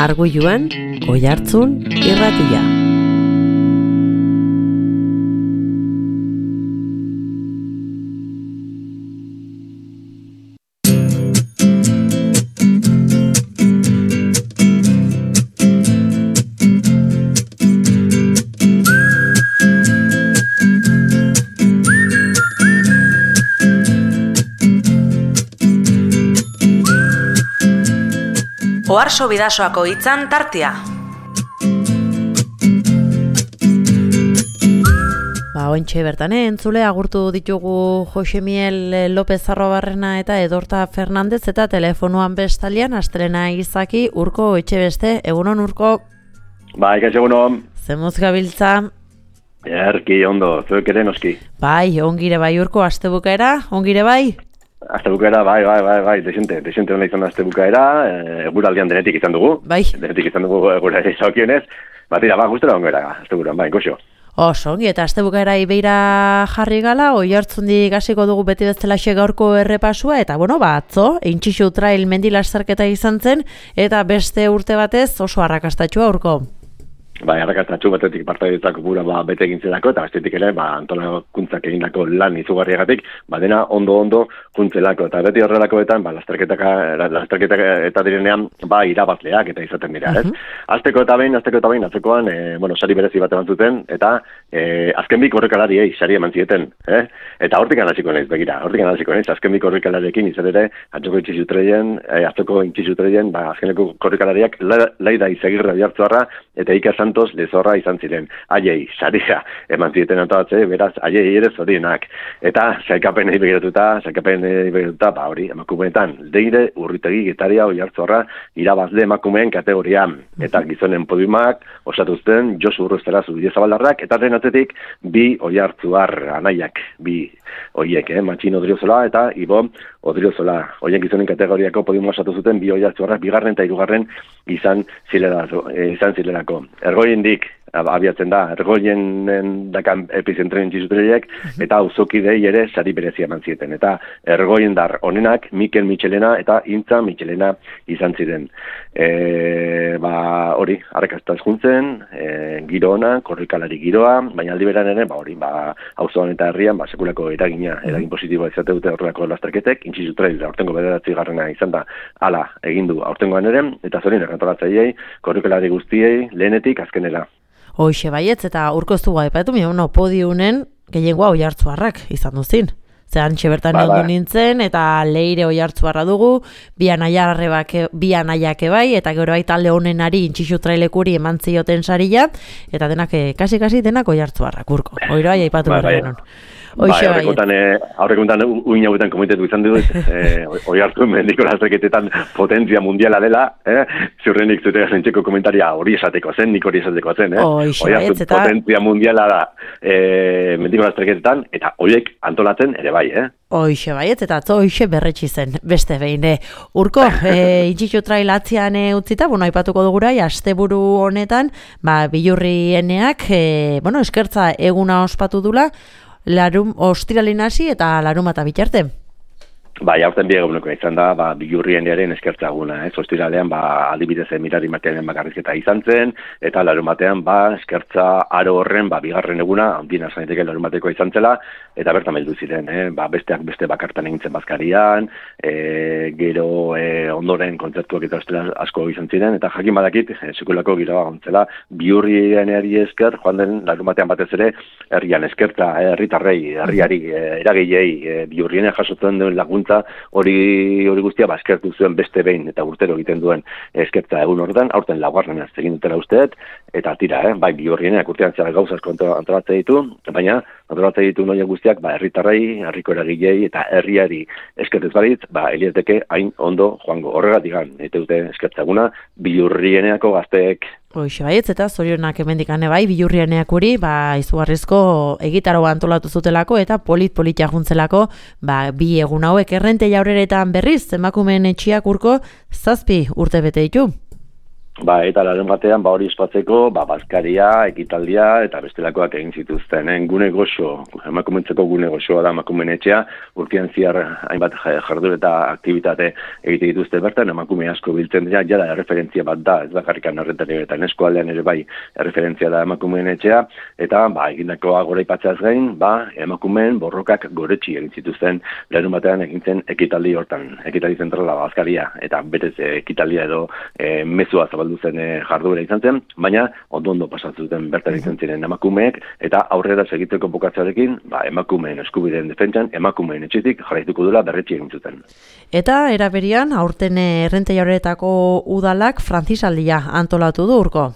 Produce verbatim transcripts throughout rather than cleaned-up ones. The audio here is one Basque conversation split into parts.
Arguiluan, Oihartzun irratia. Oharso Bidasoako hitzan tartea. Ba, ointxe bertan, eh? Entzule agurtu ditugu Jose Miel López Arrobarrena eta Edorta Fernandez eta telefonoan bestalian Astelena Izaki Urko Etxebeste. Egunon, Urko? Bai, kaixo egunon. Zemuz gabiltza? Erki, ondo, zuek ere noski. Bai, ongire bai, Urko, astebukaera, ongire bai? Azte bukaera, bai, bai, bai, bai, desente, desente hona izan azte bukaera, eguraldian denetik izan dugu. Bai. Denetik izan dugu eguraldi zaukionez. Batira, ba, guztera ongera, azte bukaeran, bai, goxo. Oso, ongi, eta azte bukaera ibeira jarri gala, Oihartzundi gasiko dugu beti bezalaxe gaurko errepasua, eta, bueno, ba, atzo, Eintxixu Trail mendilasarketa izan zen, eta beste urte batez oso arrakastatxua, Urko. Bai, arrakastatxu batetik partaidetzako gura ba, bete egintzelako, eta bestetik ere, ba, antolakuntzak egindako lan izugarriagatik, ba, dena ondo-ondo kuntzelako, eta beti horrelakoetan, ba, lasterketaka, lasterketak eta direnean, ba, irabazleak eta izaten dira, ez? Uh-huh. Azteko eta behin, azteko eta behin, atzekoan, e, bueno, sari berezi bat eman zuten, eta e, azken bi korrikalariei sari eman zieten, eh? Eta hortik anaziko naiz, begira, hortik anaziko naiz, azken bi korrikalariekin izan ere, atzoko Eintxixu Trailen, e, atzoko Eintxixu Trailen, ba, azkeneko korrikalariak Laida Izagirre Oiartzuarra eta Iker Santos Lezorra izan ziren. Aiei, saria, eman zieten antolatze, beraz, aiei ere zorienak. Eta, saikapenei begiratuta, saikapenei begiratuta, ba hori, emakumeetan, Leire Urritegi Getaria Oiartzuarra irabazle emakumeen kategorian. Eta gizonen podiumak osatuzten Josu Urruztera Zubidezabaldarrak, eta den atzetik, bi Oiartzuar anaiak, bi oiek, eh? Matxin Odriozola eta Ibo Odriozola. Oien gizonen kategoriako podiuma osatu zuten, bi Oiartzuarrak, bigarren eta hirugarren izan zilerako. Izan zilerako. Ergoiendik abiatzen da, ergoien dakan epizentren Eintxixutreiek, eta auzokidei ere sari berezia eman zieten. Eta ergoiendar onenak Mikel Michelena eta Intza Michelena izan ziren. E, ba, hori, arrakastaz juntzen, e, giro ona, korrikalari giroa, baina aldi beran ere, ba, hori, ba, auzoan eta herrian, ba, sekulako eragina, eragin positiboa izate dute horrelako lasterketek, Eintxixutreil aurtengo bederatzi garrena izan da, hala, egindu aurtengoan ere, eta zorinak antolatzaileei, korrikalari guztiei, lehenetik azkenera. Hoixe baietz, eta Urko ez dugu aipatu, mi, no, podiunen gehiengoa Oiartzuarrak izan duzin. Zeran txebertan ba, ba. nintzen, eta Leire Oiartzuarra dugu, bi anaiak bai, eta gero bai talde honenari Eintxixu Trailekuri eman zioten saria, eta denak, kasi-kasi denak Oiartzuarrak, Urko. Oiro aia aipatu behar genuen. Bai, aurrekuntan uin hauetan komitetu izan dut, eh, Oihartzun mendiko lasterketetan potentzia mundiala dela, eh? Ziurrenik zute zentzeko komentaria hori esateko zen, nik hori esateko zen, eh? Oihartzun eta... potentzia mundiala da eh, mendiko lasterketetan, eta horiek antolatzen ere bai, eh? Hoixe baiet, eta atzo hoixe berretsi zen, beste behin. Urko, e, Eintxixu Trail atzian e, utzita, bueno, aipatuko dugurai, asteburu honetan, ba, Bilurrieneak, e, bueno, eskertza eguna ospatu dula, larum, ostiralin hasi eta larumata bitarte. Bai, aurten bi eguneko izan da, ba, Bilurrienearen eskertza eguna, ez? Ostiralean, ba, adibidez mirari matearen bakarrizketa izan zen, eta larumatean, ba, eskertza aro horren, ba, bigarren eguna, handien asaineteke larumateko izan zela, eta bertan meldu ziren, eh? Ba, besteak beste bakartan egintzen bazkarian, e, gero e, ondoren kontzertuak eta ostela asko izan ziren, eta jakin badakit, e, sekulako giroa gontzela, Bilurrieneari esker, joan den larumatean batez ere, herrian eskertza, herritarrei, herriari, e, eragilei, e, Bilurriene jasotzen duen laguntza, hori hori guztia ba, eskertu zuen beste behin eta urtero egiten duen eskertza egun horretan, aurten laugarren ez egin dutela usteet, eta tira, eh? Bai, Bilurrieneak urtean zera gauza asko antolatzen ditu, baina antolatzen ditu noia guztiak, ba, herritarrei, herriko eragilei eta herriari eskertez baritz, ba, elieteke hain ondo joango. Horregatik gan, eta dute eskertza eguna, Bilurrieneako gazteek. Hoixe baietz, eta zorionak emendikane bai, Bilurrieneak uri, ba, izugarrizko egitaroa antolatu zutelako, eta polit-politia juntzelako, ba, bi egun hauek errente jaurreretan berriz, emakumeen etxiak Urko, zazpi urte bete ditu. Ba, eta larun batean, ba, hori espatzeko, ba, bazkaria, ekitaldia, eta bestelakoak egin zituzten. En gune goxo, emakumentzeko gune goxoa da emakumen etxea, urtean ziar hainbat jardur eta aktivitate egite dituzte bertan, emakume asko biltzen dira, jada erreferentzia bat da, ez bakarrikan horretan eta eskualdean ere bai erreferentzia da emakumeen etxea, eta, ba, egindakoa gora ipatzeaz gain, ba, emakumeen borrokak goretsi egin zituzten, larun batean egintzen ekitaldi hortan, ekitaldi zentrala bazkaria, eta betez ekitaldia edo e, mezua zabaldu zen jarduera izan zen, baina ondo-ondo pasatzen bertan izan ziren emakumeek, eta aurrera segiteko bukatzearekin, ba, emakumeen eskubideen defentsan, emakumeen etxetik jarraituko dela berretsi egin zuten. Eta eraberian, aurten Errentei horretako udalak frantzisaldia antolatu du urko.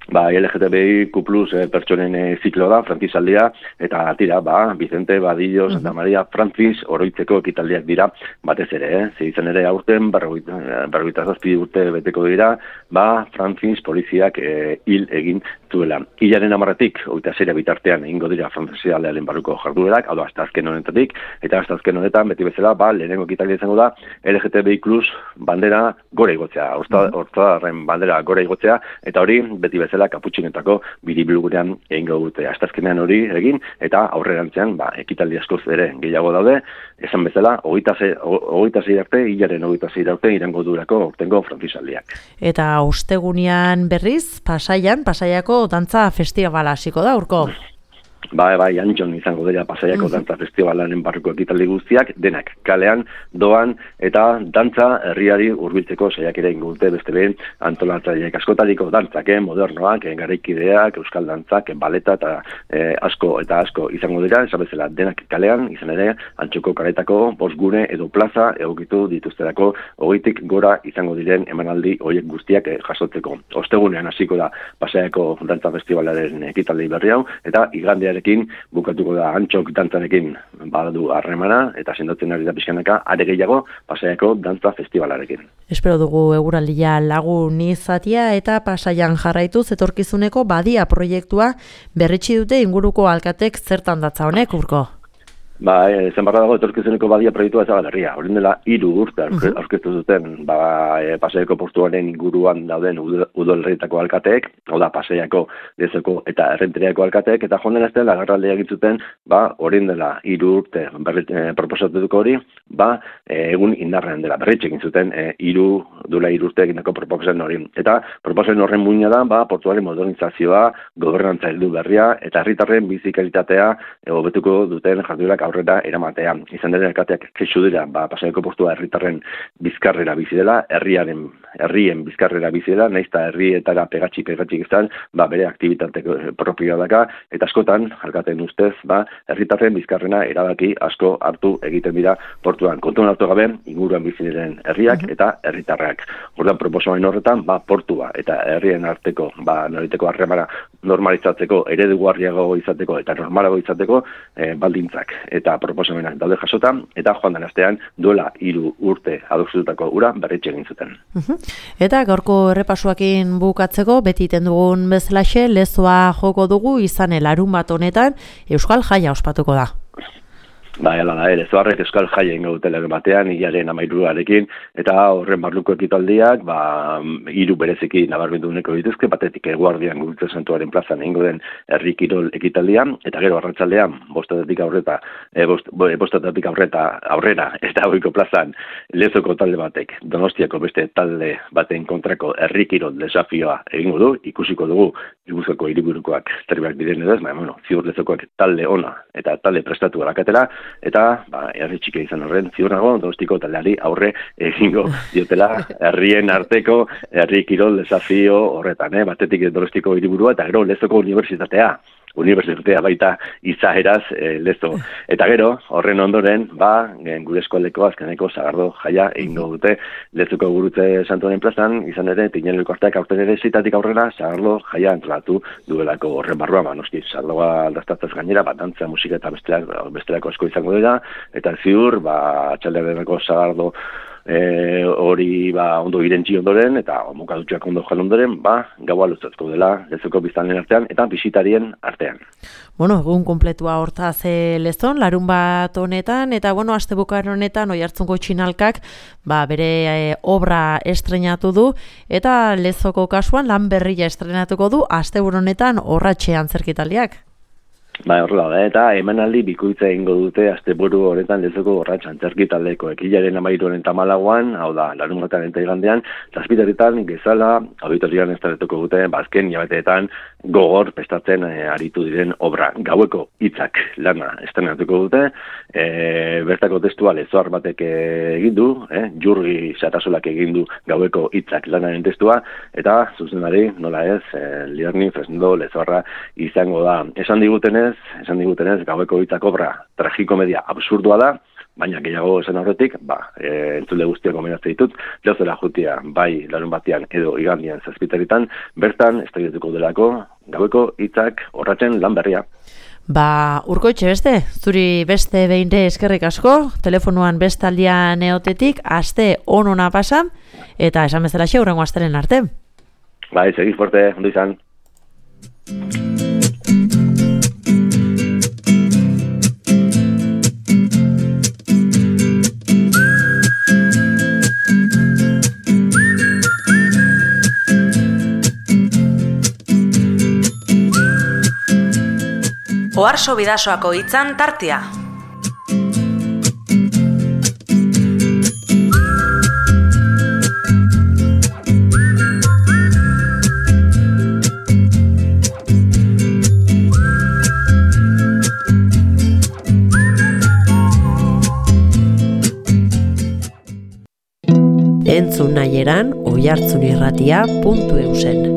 Ba, L G T B I Q plus eh, pertsonen eh, ziklo da, frantzisaldia, eta tira, ba, Vicente, Badillo, Santa Maria, Frantziz, oroitzeko ekitaldiak dira, batez ere, eh? Ze izan ere aurten, berrogeita zazpi urte beteko dira, ba, Frantziz poliziak eh, hil egin zuela. Hilaren amarretik, oita zeira bitartean, egingo dira frantzisaldearen barruko jarduerak, hau da, hasta azken honetatik, eta hasta azken honetan, beti bezala, ba, lehenengo ekitaldia izango da, L G T B I plus bandera gore igotzea, hortzadarren bandera gore igotzea, eta hori, beti bezala, kaputxinetako biribilgurean egingo dute. Astazkenean hori egin, eta aurrerantzean, ba, ekitaldi askoz ere gehiago daude, esan bezala, hogeita sei arte, hilaren hogeita sei arte irango durako aurtengo frantzisaldiak. Eta ostegunean berriz, Pasaian, Pasaiako dantza festibala hasiko da, urko? Ba, bai, Antxon izango dira Pasaiako dantza festivalaren barruko ekitaldi guztiak, denak kalean, doan, eta dantza herriari hurbiltzeko saiakera egingo dute beste behin antolatzaileek askotariko dantzak, eh, modernoak, eh, garaikideak, euskal dantzak, eh, baleta eta eh, asko eta asko izango dira, esan bezala denak kalean, izan ere, Antxoko karetako bosgune edo plaza egokitu dituzterako hogeitik gora izango diren emanaldi horiek guztiak eh, jasotzeko. Ostegunean hasiko da Pasaiako dantza festivalaren ekitaldi berri hau, eta igandean bukatuko da Antxok dantzarekin badu harremana eta sendotzen ari da pixkanaka are gehiago Pasaiako dantza festivalarekin. Espero dugu eguraldia lagun izatea eta Pasaian jarraituz etorkizuneko badia proiektua berritsi dute inguruko alkatek zertan datza honek, urko? Ba, ezen barra dago etorkizuneko badia proiektua ez Berria. Horren dela hiru urte aurkeztu zuten ba, e, Pasaiako portuaren inguruan dauden udalerrietako alkateek, hau da Pasaiako, Lezoko eta Errenteriako alkateek, eta joan den astean agerraldia egin zuten, ba, horren dela hiru urte berrit, e, proposatuko hori, ba, e, egun indarrean dela berritxe egin zuten e, hiru duela hiru urte egindako proposen hori. Eta proposen horren muina da, ba, portuaren modernizazioa, gobernantza heldu berria eta herritarren bizi kalitatea e, hobetuko duten jarduerak aurrera eramatea. Izan dira alkateak kexu dira, ba, Pasaiako portua herritarren bizkarrera bizi dela, herriaren, herrien bizkarrera bizi dela, nahiz eta herrietara pegatxi pegatxi izan, ba, bere aktibitate propioa daka, eta askotan, alkateen ustez, ba, herritarren bizkarrena erabaki asko hartu egiten dira portuan. Kontuan hartu gabe, inguruan bizi diren herriak eta herritarrak. Orduan proposamen horretan, ba, portua eta herrien arteko, ba, noriteko harremana normalizatzeko, eredugarriago izateko eta normalago izateko e, baldintzak eta proposamenak daude jasota, eta joan den astean duela hiru urte adostutako ura berritxe egin zuten. Eta gaurko errepasuakin bukatzeko, beti iten dugun bezalaxe, lezoa joko dugu izan larun bat honetan, Euskal Jaia ospatuko da. Ba, hala da, ere, zoarrek Euskal Jaia ingo dutela batean, hilaren amairuarekin, eta horren barruko ekitaldiak, ba, hiru bereziki nabarmenduneko dituzke, batetik eguardian Gurutze Santuaren plazan egingo den herri kirol ekitaldia, eta gero arratsaldean bostatetik aurreta, e, bost, bostatetik aurreta, aurrera, eta hoiko plazan, Lezoko talde batek, Donostiako beste talde baten kontrako herri kirol desafioa egingo du, ikusiko dugu, Gipuzkoako hiriburukoak zerbait diren edo ez, baina, bueno, ziur Lezokoak talde ona eta talde prestatu alakatela, eta ba, herri txiki izan horren ziur nago Donostiko taldeari aurre egingo diotela herrien arteko herri kirol desafio horretan, eh? Batetik Donostiko hiriburua eta gero Lezoko unibertsitatea. Unibertsitatea baita izaeraz e, Lezo. Eta gero, horren ondoren, ba, gure eskualdeko azkeneko Sagardo Jaia egingo dute Lezoko Gurutze Santuaren plazan, izan ere, Tinel elkarteak aurten ere zitatik aurrera Sagardo Jaia antolatu duelako horren barrua, ba, noski, Sagardoa aldastatzaz gainera, bat dantza, musika eta bestelako asko izango dira, eta ziur, ba, atxaldearenako Sagardo e, hori ba, ondo irentzi ondoren, eta mokadutxoak ondo jan ondoren, ba, gaua luzatuko dela lezoko biztanleen artean, eta bisitarien artean. Bueno, egun kompletua hortaz e, lezon, larun bat honetan, eta bueno, astebukar honetan Oiartzungo Txinalkak ba, bere e, obra estrenatu du, eta lezoko kasuan lan berria estrenatuko du asteburu honetan Orratxean zerkitaldiak. Ba, horrela da, eta emanaldi bikoitza egingo dute asteburu honetan lezoko Orratx antzerki taldeko ekilaren amairuaren tamalagoan, hau da, larun batean eta igandean, zazpiterritan gezala, auditorian estaretuko dute, bazken jabeteetan gogor prestatzen e, aritu diren obra. Gaueko hitzak lana estrenatuko dute, e, bertako testua lezoar batek egin du, e, Jurgi Satasolak egin du gaueko hitzak lanaren testua, eta zuzenari, nola ez, e, Lierni Fresnendo lezoarra izango da. Esan digutenez, esan digutenez, gaueko hitzak obra tragikomedia absurdua da, baina gehiago esan horretik, ba, e, entzule guztiak gomendatzen ditut, lehozela jutia, bai larun batean edo igandian zazpiteritan, bertan estreituko delako gaueko hitzak Orratxen lan berria. Ba, Urkoitxe beste, zuri beste behinre eskerrik asko, telefonuan bestaldian eotetik, aste onona pasa, eta esan bezala xe, hurrengo astelen arte. Bai, segiz fuerte, ondo izan. Oharso Bidasoako hitzan tartea. Entzun nahi eran oihartzunirratia puntu eusen.